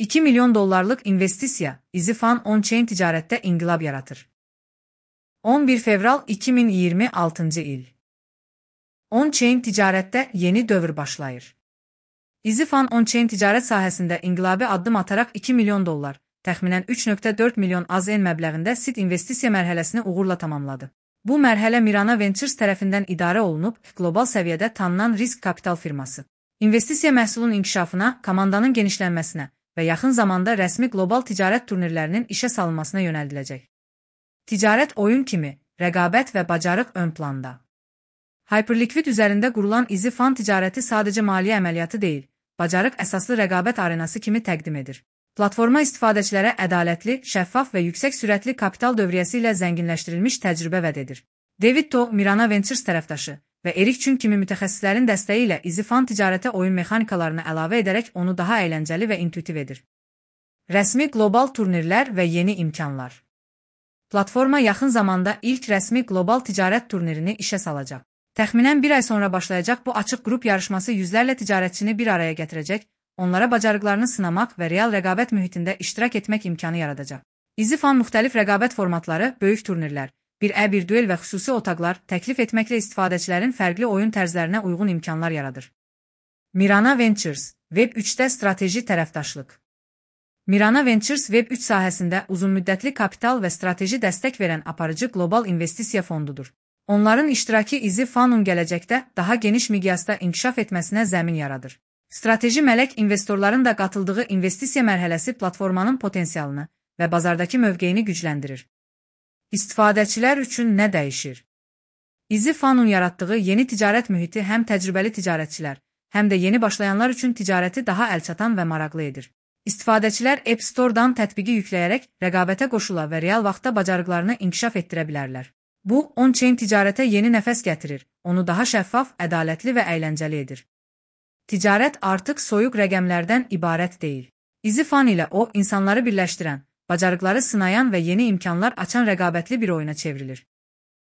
$2 milyon investisiya, EasyFun on-chain ticarətdə inqilab yaratır. 11 fevral 2026 il. On-chain ticarətdə yeni dövr başlayır. EasyFun on-chain ticarət sahəsində inqilabi addım ataraq $2 milyon, təxminən 3,4 milyon AZN məbləğində seed investisiya mərhələsini uğurla tamamladı. Bu mərhələ Mirana Ventures tərəfindən idarə olunub, qlobal səviyyədə tanınan risk kapital firması. İnvestisiya məhsulun inkişafına, komandanın genişlənməsinə və yaxın zamanda rəsmi qlobal ticarət turnirlərinin işə salınmasına yönəldiləcək. Ticarət oyun kimi, rəqabət və bacarıq ön planda. Hyperliquid üzərində qurulan EasyFun ticarəti sadəcə maliyyə əməliyyatı deyil, bacarıq əsaslı rəqabət arenası kimi təqdim edir. Platforma istifadəçilərə ədalətli, şəffaf və yüksək sürətli kapital dövriyyəsi ilə zənginləşdirilmiş təcrübə vəd edir. David To, Mirana Ventures tərəfdaşı və Erik Chun kimi mütəxəssislərin dəstəyi ilə EasyFun ticarətə oyun mexanikalarını əlavə edərək onu daha əyləncəli və intuitiv edir. Rəsmi qlobal turnirlər və yeni imkanlar. Platforma yaxın zamanda ilk rəsmi qlobal ticarət turnirini işə salacaq. Təxminən bir ay sonra başlayacaq bu açıq qrup yarışması yüzlərlə ticarətçini bir araya gətirəcək, onlara bacarıqlarını sınamaq və real rəqabət mühitində iştirak etmək imkanı yaradacaq. EasyFun müxtəlif rəqabət formatları, böyük turnirlər, 1-1 duel və xüsusi otaqlar təklif etməklə istifadəçilərin fərqli oyun tərzlərinə uyğun imkanlar yaradır. Mirana Ventures, Web3-də strateji tərəfdaşlıq. Mirana Ventures Web3 sahəsində uzunmüddətli kapital və strateji dəstək verən aparıcı qlobal investisiya fondudur. Onların iştirakı EasyFun'un gələcəkdə daha geniş miqyasda inkişaf etməsinə zəmin yaradır. Strateji mələk investorların da qatıldığı investisiya mərhələsi platformanın potensialını və bazardakı mövqeyini gücləndirir. İstifadəçilər üçün nə dəyişir? EasyFun'un yaratdığı yeni ticarət mühiti həm təcrübəli ticarətçilər, həm də yeni başlayanlar üçün ticarəti daha əlçatan və maraqlı edir. İstifadəçilər App Store-dan tətbiqi yükləyərək rəqabətə qoşula və real vaxtda bacarıqlarını inkişaf etdirə bilərlər. Bu, on-chain ticarətə yeni nəfəs gətirir, onu daha şəffaf, ədalətli və əyləncəli edir. Ticarət artıq soyuq rəqəmlərdən ibarət deyil. EasyFun ilə o, insanları birləşdirən, bacarıqları sınayan və yeni imkanlar açan rəqabətli bir oyuna çevrilir.